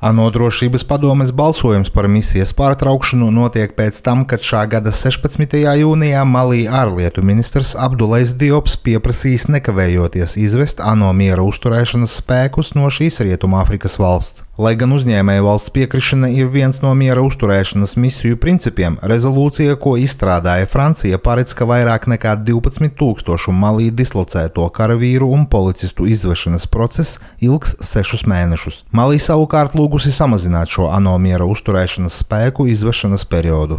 ANO drošības padomes balsojums par misijas pārtraukšanu notiek pēc tam, kad šā gada 16. jūnijā Malī ārlietu ministrs Abdulais Diops pieprasījis nekavējoties izvest ANO miera uzturēšanas spēkus no šīs Rietumāfrikas valsts. Lai gan uzņēmēja valsts piekrišana ir viens no miera uzturēšanas misiju principiem, rezolūcija, ko izstrādāja Francija, paredz, ka vairāk nekā 12,000 Malī dislocēto karavīru un policistu izvešanas process ilgs 6 mēnešus. Malī savukārt lūgusi samazināt šo ANO miera uzturēšanas spēku izvešanas periodu.